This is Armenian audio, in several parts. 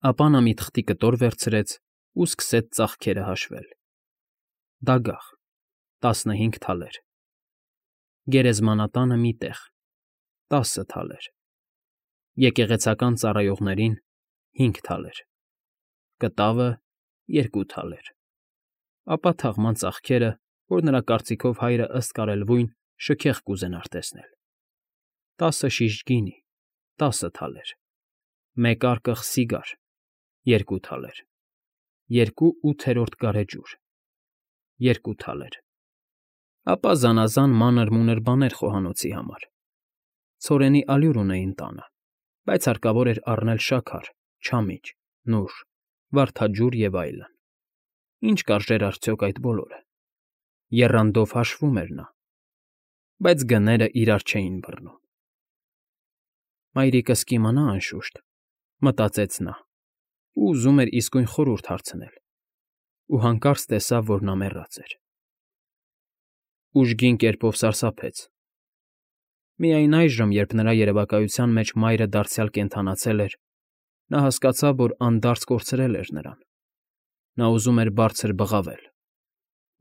Ապա նա մի թղթի կտոր վերցրեց ու սկսեց ծախքերը հաշվել. դագաղ, 15 թալեր, գերեզմանատանը մի տեղ, 10 թալեր, եկեղեցական ծառայողներին 5 թալեր, կտավը 2 թալեր, ապա թաղման ծախքերը, որ նրա կարծիքով հայրը ըստ կարելույն շքեղ կուզենար տեսնել. 10 շիշ գինի, 10 թալեր, մեկ արկղ սիգար, 2 թալեր, 2 ութերորդ գարեջուր, 2 թալեր, ապա զանազան մանր֊մունր բաներ խոհանոցի համար. ցորենի ալյուր ունեին տանը, բայց հարկավոր էր առնել շաքար, չամիչ, նուշ, վարդաջուր և այլն. ինչ կարժեր արդյոք այդ բոլորը. եռանդով հաշվում էր նա, բայց գները իրար չէին բռնում։ «Մայրիկս կիմանա, անշուշտ», մտածեց նա, ու ուզում էր իսկույն խորհուրդ հարցնել, ու հանկարծ տեսավ, որ նա մեռած էր։ Ուժգին կերպով սարսափեց։ Միայն այժմ, երբ նրա երևակայության մեջ մայրը դարձյալ կենդանացել էր, նա հասկացավ, որ անդարձ կորցրել էր նրան։ Նա ուզում էր բարձր բղավել,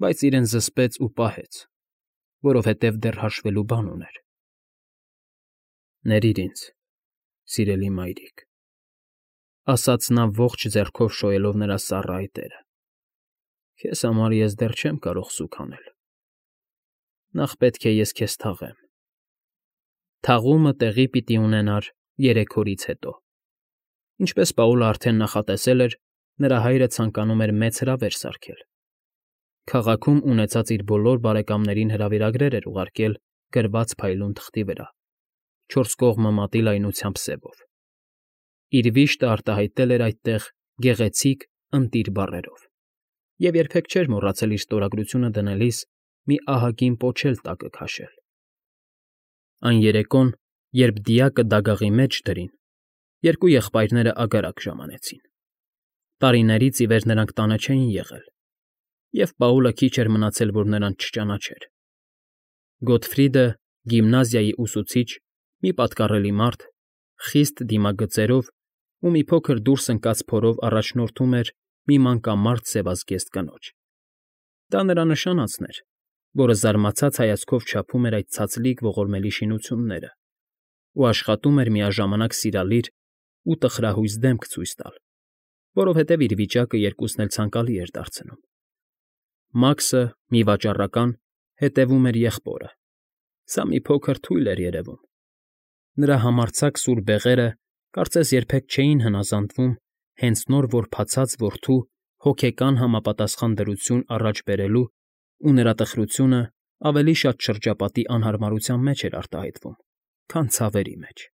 բայց իրեն զսպեց ու պահեց, որովհետև դեռ հաշվելու բան ուներ։ «Ներիր ինձ, սիրելի մայրիկ», ասաց նա ողջ ձեռքով շոյելով նրա սառը այտերը, «քեզ համար ես դեռ չեմ կարող սուգ անել։ Նախ պետք է ես քեզ թաղեմ։ Թաղումը տեղի պիտի ունենար 3 օրից հետո։ Ինչպես Պաուլը արդեն նախատեսել էր, նրա հայրը ցանկանում էր մեծ հրավեր սարքել։ Քաղաքում ունեցած իր բոլոր բարեկամներին հրավիրագրեր էր ուղարկել գրված փայլուն թղթի վրա, 4 կողմը մատի լայնությամբ սևով։ Իր վիշտը արտահայտել էր այդտեղ գեղեցիկ ընտիր բառերով և երբեք չէր մոռացել իր ստորագրությունը դնելիս մի ահագին պոչ էլ տակը քաշել։ Այն երեկոն, երբ դիակը դագաղի մեջ դրին, երկու եղբայրները ագարակ ժամանեցին։ Տարիներից ի վեր նրանք տանը չէին եղել, և Պաուլը քիչ էր մնացել, որ նրանց չճանաչեր։ Գոտֆրիդը, գիմնազիայի ուսուցիչ, մի պատկառելի մարդ, խիստ դիմագծերով ու մի փոքր դուրս ընկած փորով առաջնորդում էր մի մանկամարդ սևազգեստ կնոջ։ Դա նրա նշանածն էր, որը զարմացած հայացքով չափում էր այդ ցածլիկ ողորմելի շինությունները ու աշխատում էր միաժամանակ սիրալիր ու տխրահույս դեմք ցույց տալ, որովհետև իր վիճակը երկուսն էլ ցանկալի էր դարձնում։ Մաքսը, մի վաճառական, հետևում էր եղբորը։ Սա մի փոքր թույլ էր երևում։ Նրա համարձակ սուր բեղերը կարծես երբեք չէին հնազանդվում հենց նոր որբացած որդու հոգեկան համապատասխան դրություն առաջ բերելու ու նրա տխրությունը ավելի շատ շրջապատի անհարմարության մեջ էր արտահայտվում, քան ցավերի մեջ։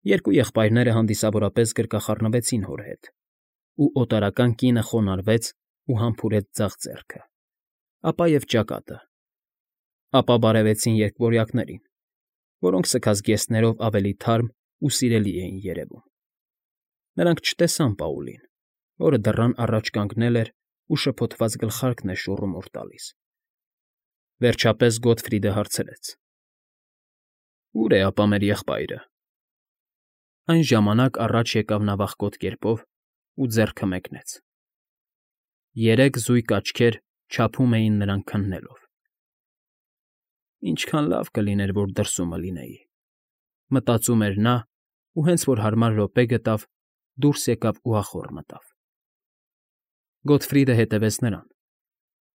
Երկու եղբայրները հանդիսավորապես գրկախառնվեցին հոր հետ, ու օտարական կինը խոնարհվեց ու համբուրեց ձախ ձեռքը, ապա և ճակատը, ապա բարևեցին երկվորյակներին, որոնք սքանձգեստներով ավելի թարմ ու սիրելի էին երևում։ Նրանք չտեսան Պաուլին, որը դռան առաջ կանգնել էր ու շփոթված գլխարկն էր շուռումուռ տալիս։ Վերջապես Գոտֆրիդը հարցրեց. «Ո՞ւր է ապա մեր եղբայրը»։ Այն ժամանակ առաջ եկավ նա վախկոտ կերպով ու ձեռքը մեկնեց։ 3 զույգ աչքեր չափում էին նրան քննելով։ «Ինչքան լավ կլիներ, որ դրսումը լինեի», մտածում էր նա ու հենց որ հարմար րոպե գտավ, դուրս եկավ ու ախոռ մտավ։ Գոտֆրիդը հետևեց նրան։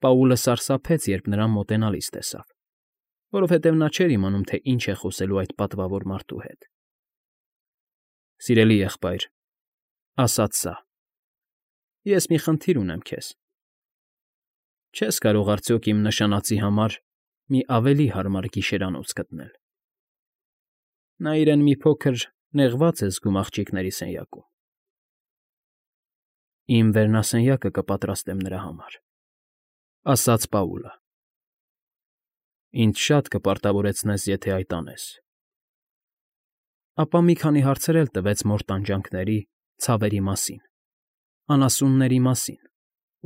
Պաուլը սարսափեց, երբ նրան մոտենալիս տեսավ, որովհետև նա չէր իմանում, թե ինչ է խոսելու այդ պատվավոր մարդու հետ։ «Սիրելի եղբայր», ասաց սա, «ես մի խնդիր ունեմ քեզ։ Չես կարող արդյոք իմ նշանածի համար մի ավելի հարմար գիշերանոց գտնել։ Նա իրեն մի փոքր նեղված է զգում աղջիկների սենյակում»։ «Իմ վերնասենյակը կպատրաստեմ նրա համար», ասաց Պաուլը։ «Ինձ շատ կպարտավորեցնես, եթե այդ անես»։ Ապա մի քանի հարցեր էլ տվեց մոր տանջանքների, ցավերի մասին, անասունների մասին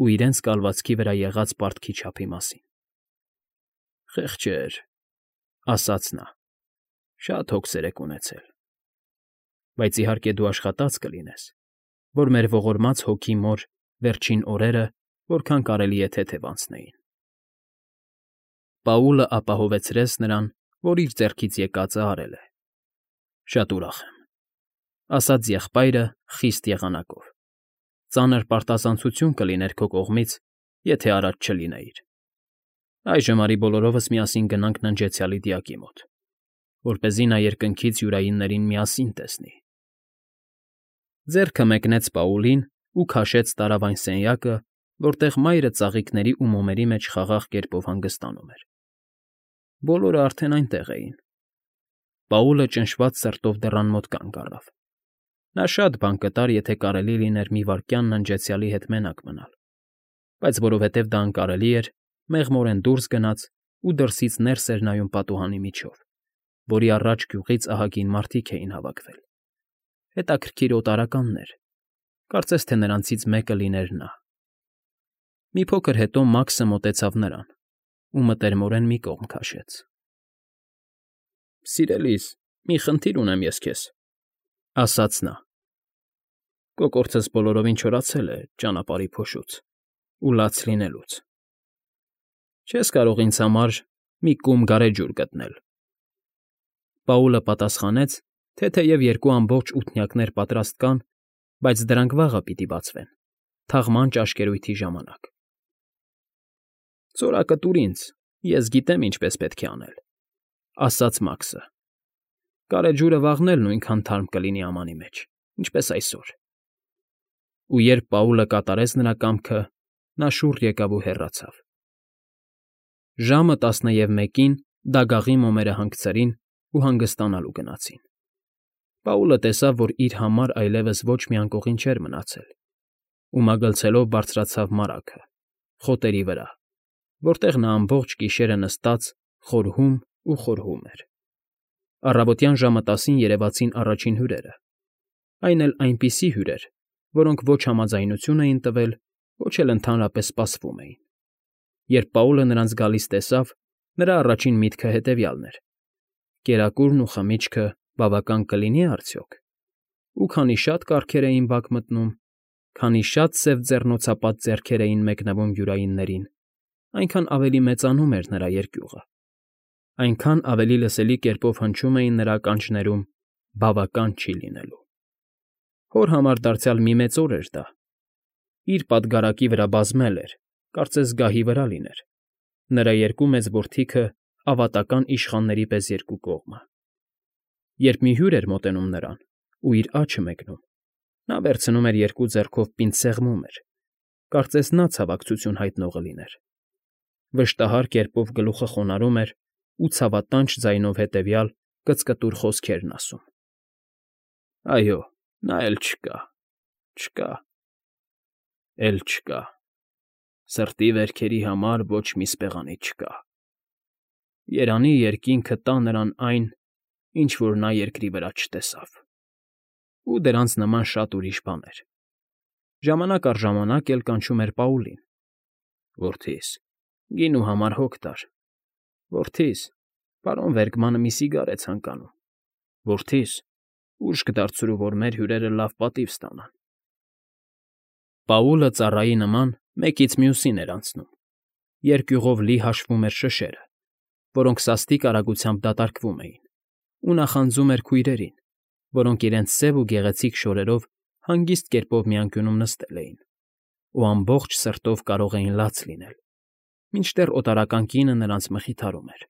ու իրենց կալվածքի վրա եղած պարտքի չափի մասին։ «Խեղճեր», ասաց նա, «շատ հոգսեր եք ունեցել, բայց իհարկե դու աշխատած կլինես որ մեր ողորմած հոգի մոր վերջին օրերը որքան կարելի է թեթև անցնեին։ Պաուլը ապահովեցրեց նրան, որ իր ձեռքից եկածը արել է։ Շատ ուրախ եմ, ասաց եղբայրը խիստ եղանակով։ Ծանր պարտազանցություն կլիներ քո կողմից, եթե առաջ չլինեիր։ Այժմ արի բոլորովս միասին գնանք ննջեցյալի դիակի մոտ, որպեսզի նա երկնքից յուրայիններին միասին տեսնի։ Ձեռքը մեկնեց Պաուլին ու քաշեց տարավ այն սենյակը, որտեղ մայրը ծաղիկների ու մոմերի մեջ խաղաղ կերպով հանգստանում էր։ Բոլորը արդեն այնտեղ էին։ Պաուլը ճնշված սրտով դռան մոտ կանգ առավ։ Նա շատ բան կտար, եթե կարելի լիներ մի վայրկյան ննջեցյալի հետ մենակ մնալ, բայց որովհետև դա անկարելի էր, մեղմորեն դուրս գնաց ու դրսից ներս էր նայում պատուհանի միջով, որի առաջ գյուղից ահագին մարդիկ էին հավաքվել։ Հետաքրքիր օտարականներ, կարծես թե նրանցից մեկը լիներ նա։ Մի փոքր հետո Մաքսը մոտեցավ նրան ու մտերմորեն մի կողմ քաշեց։ Սիրելիս, մի խնդիր ունեմ ես քեզ, ասաց նա։ Կոկորդս բոլորովին չորացել է ճանապարհի փոշուց ու լաց լինելուց։ Չես կարող ինձ համար մի կում գարեջուր գտնել։ Պաուլը պատասխանեց, թե թեև երկու ամբողջ ութնյակներ պատրաստ կան, բայց դրանք վաղը պիտի բացվեն, թաղման ճաշկերույթի ժամանակ։ Ծորակը տուր ինձ, ես գիտեմ ինչպես պետք է անել, ասաց Մաքսը։ Գարեջուրը վաղն էլ նույնքան թարմ կլինի ամանի մեջ, ինչպես այսօր։ Ու երբ Պաուլը կատարեց նրա կամքը, նա շուռ եկավ ու հեռացավ։ Ժամը 11-ին դագաղի մոմերը հանգցրին ու հանգստանալու գնացին։ Պաուլը տեսավ, որ իր համար այլևս ոչ մի անկողին չէր մնացել, ու մագլցելով բարձրացավ մարագը, խոտերի վրա, որտեղ նա ամբողջ գիշերը նստած խորհում ու խորհում էր։ Առավոտյան ժամը 10-ին երևացին առաջին հյուրերը, այն էլ այնպիսի հյուրեր, որոնք ոչ համաձայնություն էին տվել, ոչ էլ ընդհանրապես սպասվում էին։ Երբ Պաուլը նրանց գալիս տեսավ, նրա առաջին միտքը հետևյալն էր. կերակուրն ու խմիչքը բավական կլինի արդյոք։ Ու քանի շատ կառքեր էին բակ մտնում, քանի շատ սև ձեռնոցապատ ձեռքեր էին մեկնվում յուրայիններին, այնքան ավելի մեծանում էր նրա երկյուղը, այնքան ավելի լսելի կերպով հնչում էին նրա ականջներում բավական չի լինելու։ Հոր համար դարձյալ մի մեծ օր էր դա։ Իր պատգարակի վրա բազմել էր, կարծես գահի վրա լիներ, նրա երկու մեծ որդիքը ավատական իշխանների պես երկու կողմը։ Երբ մի հյուր էր մոտենում նրան ու իր աջը մեկնում, նա վերցնում էր երկու ձեռքով պինդ սեղմում էր, կարծես նա ցավակցություն հայտնողը լիներ։ Վշտահար կերպով գլուխը խոնարհում էր ու ցավատանչ ձայնով հետևյալ կծկտուր խոսքերն ասում. Այո, նա էլ չկա, չկա, էլ չկա, սրտի վերքերի համար ոչ մի սպեղանի չկա։ Երանի երկինքը տա նրան այն, ինչ որ նա երկրի վրա չտեսավ։ Ու դրանց նման շատ ուրիշ բաներ։ Ժամանակ առ ժամանակ էլ կանչում էր Պաուլին. Որդիս, գինու համար հոգ տար։ Որդիս, պարոն Վերգմանը մի սիգար է ցանկանում։ Որդիս, ուժ կդարձրու, որ մեր հյուրերը լավ պատիվ ստանան։ Պաուլը ծառայի նման մեկից մյուսին էր անցնում։ Երկյուղով լի հաշվում էր շշերը, որոնք սաստիկ արագությամբ դատարկվում էին, ու նախանձում էր քույրերին, որոնք իրենց սև ու գեղեցիկ շորերով հանգիստ կերպով մի անկյունում նստել էին, ու ամբողջ սրտով կարող էին լաց լինել, մինչդեռ օտարական կինը նրանց մխիթարում էր։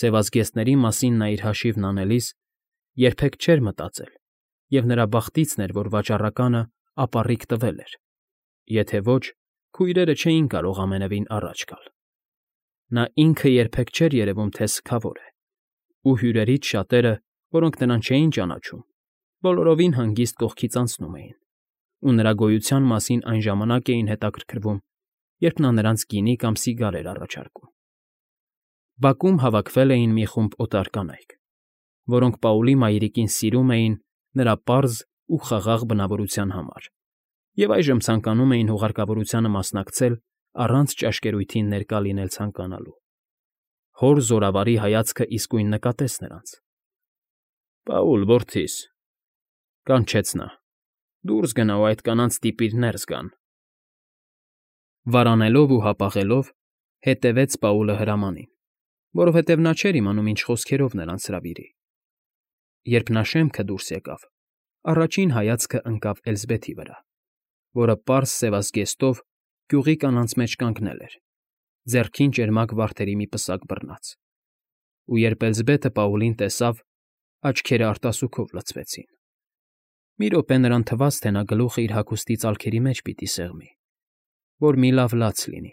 Սևազգեստների մասին նա իր հաշիվն անելիս երբեք չէր մտածել, և նրա բախտիցն էր, որ վաճառականը ապառիկ տվել էր, եթե ոչ, քույրերը չէին կարող ամենևին առաջ գալ։ Նա ինքը երբեք չէր երևում, թե սգավոր է, ու հյուրերից շատերը, որոնք նրան չէին ճանաչում, բոլորովին հանգիստ կողքից անցնում էին, ու նրա գոյության մասին այն ժամանակ էին հետաքրքրվում, երբ նա նրանց գինի կամ սիգար էր առաջարկում։ Բակում հավաքվել էին մի խումբ օտար կանայք, որոնք Պաուլի մայրիկին սիրում էին նրա պարզ ու խաղաղ բնավորության համար, և այժմ ցանկանում էին հուղարկավորությանը մասնակցել առանց ճաշկերույթին ներկա լինել ցանկանալու։ Հոր զորավարի հայացքը իսկույն նկատեց նրանց։ Պաուլ, որդիս, կանչեց նա, Դուրս գնա ու այդ կանանց ստիպիր ներս գան։ Վարանելով ու հապաղելով հետևեց Պաուլը հրամանին, որովհետև նա չէր իմանում ինչ խոսքերով նրանց հրավիրի։ Երբ նա շեմքը դուրս եկավ, առաջին հայացքը ընկավ Էլզբեթի վրա, որը պարզ սևազգեստով գյուղի կանանց մեջ կանգնել էր, ձեռքին ճերմակ վարդերի մի պսակ բռնած։ Ու երբ Էլզբեթը Պաուլին տեսավ, աչքերը արտասուքով լցվեցին։ Մի րոպե նրան թվաց, թե նա գլուխը իր հագուստի ծալքերի մեջ պիտի սեղմի, որ մի լավ լաց լինի,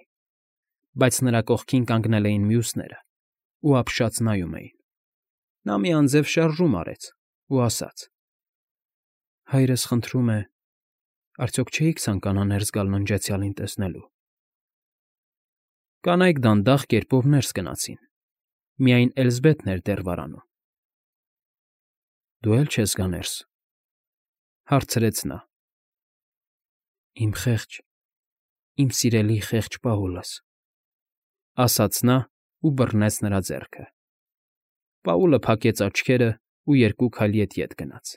բայց նրա կողքին կանգնել էին մյուսները ու ապշած նայում էին։ Նա մի անձև շարժում արեց ու ասաց. «Հայրս խնդրում է, արդյոք չէիք ցանկանա ներս գալ ննջեցյալին տեսնելու»։ Կանայք դանդաղ կերպով ներս գնացին։ Միայն Էլզբեթն էր դեռ վարանում։ «Դու էլ չես գա ներս», հարցրեց նա։ «Իմ խեղճ, իմ սիրելի խեղճ Պաուլս», ասաց նա ու բռնեց նրա ձեռքը։ Պաուլը փակեց աչքերը ու երկու քայլ ետ գնաց։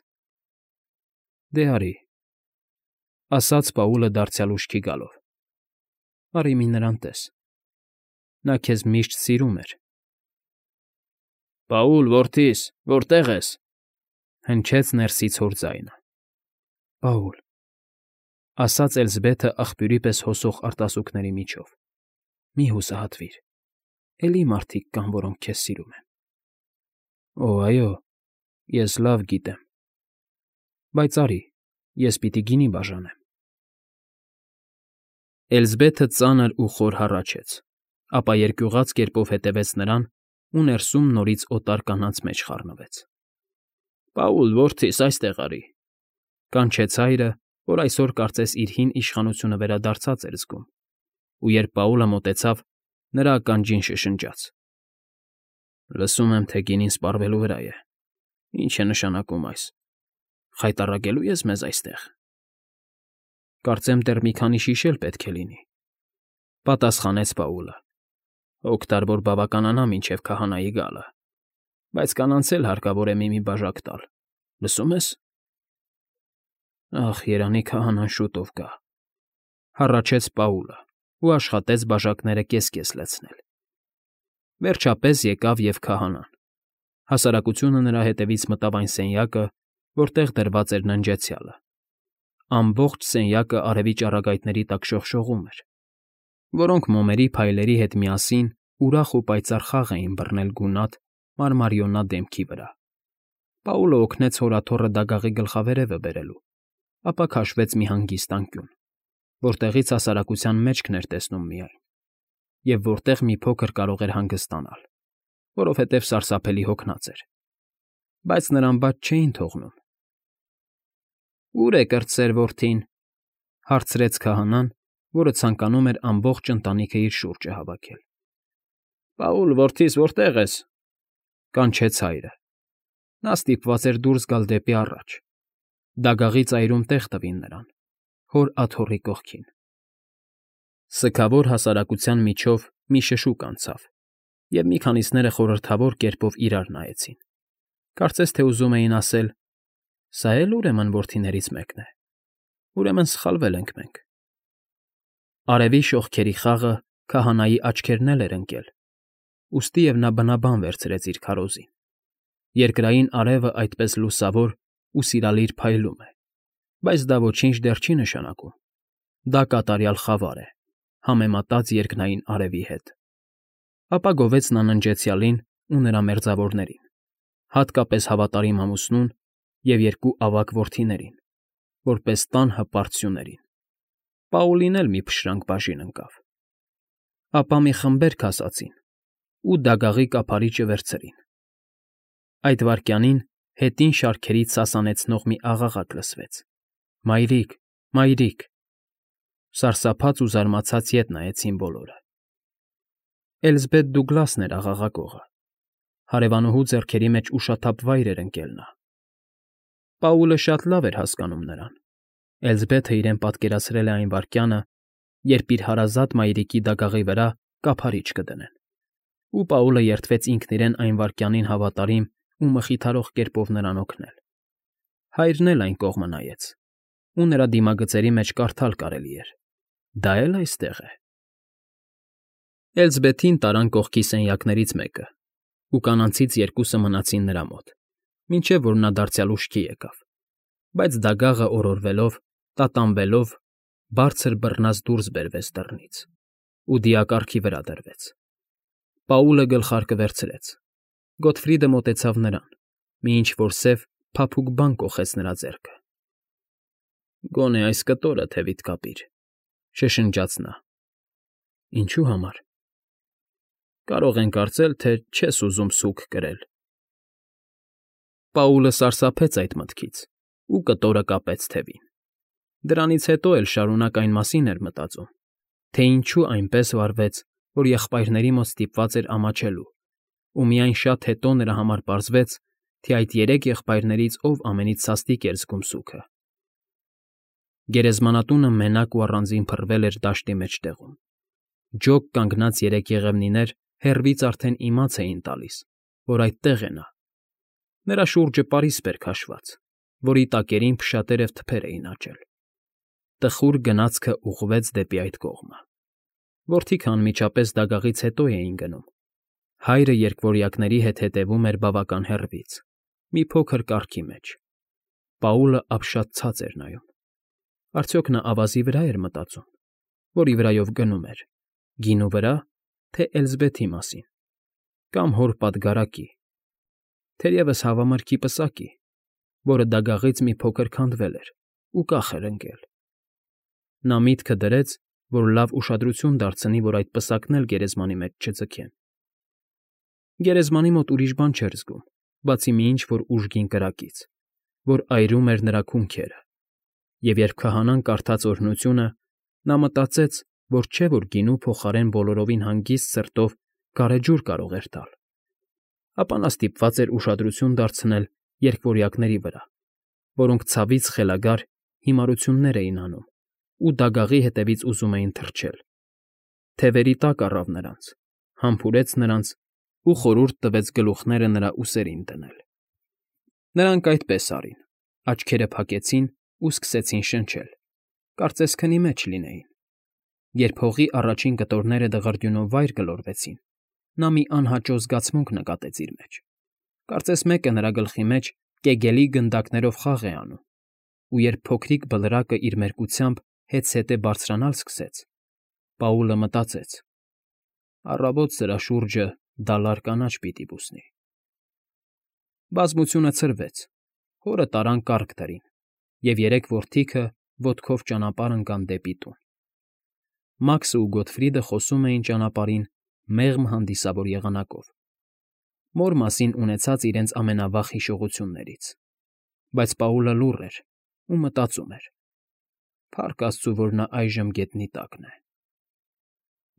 «Դե արի», ասաց Պաուլը դարձյալ ուշքի գալով։ «Արի մի նրան տես. նա քեզ միշտ սիրում էր»։ «Պաուլ, որդիս, որտե՞ղ ես», հնչեց ներսից հոր ձայնը։ «Պաուլ», ասաց Էլզբեթը աղբյուրի պես հոսող արտասուքների միջով, «մի հուսահատվիր, էլի մարդիկ կան, որոնք քեզ սիրում են»։ «Օ, այո, ես լավ գիտեմ, բայց արի, ես պիտի գինի բաժանեմ»։ Էլզբեթը ծանր ու խոր հառաչեց, ապա երկյուղած կերպով հետևեց նրան ու ներսում նորից օտար կանանց մեջ խառնվեց։ «Պաուլ, որդիս, այստեղ արի», կանչեց հայրը, որ այսօր կարծես իր հին իշխանությունը վերադարձած էր զգում, ու երբ Պաուլը մոտեցավ, նրա ականջին շշնջաց. «Լսում եմ, թե գինին սպառվելու վրա է։ Ինչ է նշանակում այս։ Խայտառակելու ես մեզ այստեղ»։ «Կարծեմ դեռ մի քանի շիշ էլ պետք է լինի», պատասխանեց Պաուլը։ «Հոգ տար, որ բավականանա մինչև քահանայի գալը, բայց կանանց էլ հարկավոր է մի բաժակ տալ, լսում ես»։ «Ախ, երանի քահանան շուտով գա», հառաչեց Պաուլը ու աշխատեց բաժակները կես֊կես լցնել։ Վերջապես եկավ և քահանան։ Հասարակությունը նրա հետևից մտավ այն սենյակը, որտեղ դրված էր ննջեցյալը։ Ամբողջ սենյակը արևի ճառագայթների տակ շողշողում էր, որոնք մոմերի փայլերի հետ միասին ուրախ ու պայծառ խաղ էին բռնել գունատ, մարմարիոնա դեմքի վրա։ Պաուլը օգնեց հորաթոռը դագաղի գլխավերևը բերելու, ապա քաշվեց մի հանգիստ անկյուն, որտեղից հասարակության մեջքն էր տեսնում միայն, և որտեղ մի փոքր կարող էր հանգստանալ, որովհետև սարսափելի հոգնած էր, բայց նրան բաց չէին թողնում։ «Ո՞ւր է կրտսեր որդին», հարցրեց քահանան, որը ցանկանում էր ամբողջ ընտանիքը իր շուրջը հավաքել։ «Պաուլ, որդիս, որտե՞ղ ես», կանչեց հայրը։ Նա ստիպված էր դուրս գալ դեպի առաջ։ Դագաղի ծայրում տեղ տվին նրան, հոր աթոռի կողքին։ Սգավոր հասարակության միջով մի շշուկ անցավ, և մի քանիսները խորհրդավոր կերպով իրար նայեցին, կարծես թե ուզում էին ասել. «Սա էլ ուրեմն որդիներից մեկն է, ուրեմն սխալվել ենք մենք»։ Արևի շողքերի խաղը քահանայի աչքերն էլ էր ընկել, ուստի և նա բնաբան վերցրեց իր քարոզին։ Երկրային արևը այդպես լուսավոր ու սիրալիր փայլում է, բայց դա ոչինչ դեռ չի նշանակում։ Դա կատարյալ խավար է, համեմատած երկնային արևի հետ։ Ապա գովեց նա ննջեցյալին ու նրա մերձավորներին, հատկապես հավատարիմ ամուսնուն և երկու ավագ որդիներին, որպես տան հպարտ սյուներին։ Պաուլին էլ մի փշրանք բաժին ընկավ։ Ապա մի խմբերգ ասացին ու դագաղի կափարիչը վերցրին։ Այդ վայրկյանին հետին շարքերից սասանեցնող մի աղաղակ լսվեց. «Մայրիկ, մայրիկ»։ Սարսափած ու զարմացած ետ նայեցին բոլորը։ Էլզբեթ Դուգլասն էր աղաղակողը։ Հարևանուհու ձեռքերի մեջ ուշաթափ վայր էր ընկել նա։ Պաուլը շատ լավ էր հասկանում նրան։ Էլզբեթը իրեն պատկերացրել է այն վայրկյանը, երբ իր հարազատ մայրիկի դագաղի վրա կափարիչ կդնեն, ու Պաուլը երդվեց ինքն իրեն այն վայրկյանին հավատարիմ ու մխիթարող կերպով նրան օգնել։ Հայրն էլ այն կողմը նայեց, ու նրա դիմագծերի մեջ կարդալ կարելի էր. դա էլ այստեղ է։ Էլզբեթին տարան կողքի սենյակներից մեկը, ու կանանցից երկուսը մնացին նրա մոտ, մինչև որ նա դարձյալ ուշքի եկավ, բայց դագաղը օրորվելով, տատանվելով, բարձր բռնած դուրս բերվեց դռնից ու դիակառքի վրա դրվեց։ Պաուլը գլխարկը վերցրեց։ Գոթֆրիդը մոտեցավ նրան, մի ինչ֊որ սև, փափուկ բան կոխեց նրա ձեռքը։ «Գոնե այս կտորը թևիդ կապիր», շշնջաց նա։ «Ինչու համար»։ «Կարող են կարծել, թե չես ուզում սուգ կրել»։ Պաուլը սարսափեց այդ մտքից ու կտորը կապեց թևին։ Դրանից հետո էլ շարունակ այն մասին էր մտածում, թե ինչու այնպես վարվեց, որ եղբայրների մոտ ստիպված էր ամաչելու, ու միայն շատ հետո նրա համար պարզվեց, թե այդ երեք եղբայրներից ով ամենից սաստիկ էր զգում սուգը։ Գերեզմանատունը մենակ ու առանձին փռվել էր դաշտի մեջտեղում։ Ջոկ կանգնած երեք եղևնիներ հեռվից արդեն իմաց էին տալիս, որ այդտեղ է նա։ Նրա շուրջը պարիսպ էր քաշված, որի տակերին փշատերև թփեր էին աճել։ Տխուր գնացքը ուղղվեց դեպի այդ կողմը։ Որդիքը անմիջապես դագաղից հետո էին գնում։ Հայրը երկվորյակների հետ հետևում էր բավական հեռվից, մի փոքր կառքի մեջ։ Պաուլը ապշած ցած էր նայում։ Արդյոք նա ավազի վրա էր մտածում, որի վրայով գնում էր, գինու վրա, թե Էլզբեթի մասին, կամ հոր պատգարակի, թերևս հավամրգի պսակի, որը դագաղից մի փոքր քանդվել էր ու կախ էր ընկել։ Նա միտքը դրեց, որ լավ ուշադրություն դարձնի, որ այդ պսակն էլ գերեզմանի մեջ չձգեն։ Գերեզմանի մոտ ուրիշ բան չէր զգում, բացի մի ինչ-որ ուժգին կրակից, որ այրում էր նրա քունքերը, և երբ քահանան կարդաց օրհնությունը, նա մտածեց, որ չէ, որ գինու փոխարեն բոլորովին հանգիստ սրտով գարեջուր կարող էր տալ, ապա նա ստիպված էր ուշադրություն դարձնել երկվորյակների վրա, որոնք ցավից խելագար հիմարություններ էին անում ու դագաղի հետևից ուզում էին թռչել։ Թևերի տակ առավ նրանց, համբուրեց նրանց ու խորհուրդ տվեց գլուխները նրա ուսերին դնել։ Նրանք այդպես արին, աչքերը փակեցին ու սկսեցին շնչել, կարծես քնի մեջ լինեին։ Երբ հողի առաջին կտորները դղրդյունով վայր գլորվեցին, նա մի անհաճո զգացմունք նկատեց իր մեջ։ Կարծես մեկը նրա գլխի մեջ կեգելի գնդակներով խաղ է անում, ու երբ փոքրիկ բլրակը իր մերկությամբ հետզհետե բարձրանալ սկսեց, Պաուլը մտածեց. առավոտ սրա շուրջը դալար կանաչ պիտի բուսնի։ Բազմությունը ցրվեց, հորը տարան կառք դրին, և երեք որդիքը ոտքով ճանապարհ ընկան դեպի տուն։ Մաքսը ու Գոթֆրիդը խոսում էին ճանապարհին մեղմ հանդիսավոր եղանակով, մոր մասին ունեցած իրենց ամենավաղ հիշողություններից, բայց Պաուլը լուռ էր ու մտածում էր. փառք Աստծու, որ նա այժմ գետնի տակն է։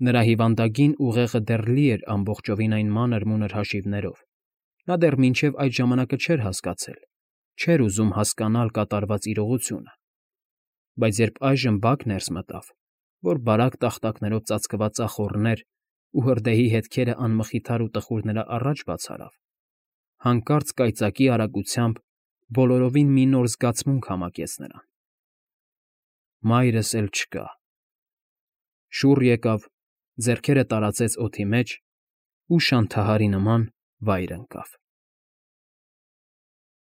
Նրա հիվանդագին ուղեղը դեռ լի էր ամբողջովին այն մանր֊մունր հաշիվներով, նա դեռ մինչև այդ ժամանակը չէր հասկացել, չէր ուզում հասկանալ կատարված իրողությունը, բայց երբ այժմ բակ ներս մտավ, որ բարակ տախտակներով ծածկված ախոռներ ու հրդեհի հետքերը անմխիթար ու տխուր նրա առաջ բացարավ, հանկարծ կայծակի արագությամբ բոլորովին մի նոր զգացմունք համակեց նրան. մայրս էլ չկա։ Շուռ եկավ, ձեռքերը տարածեց օդի մեջ ու շանթահարի նման վայր ընկավ։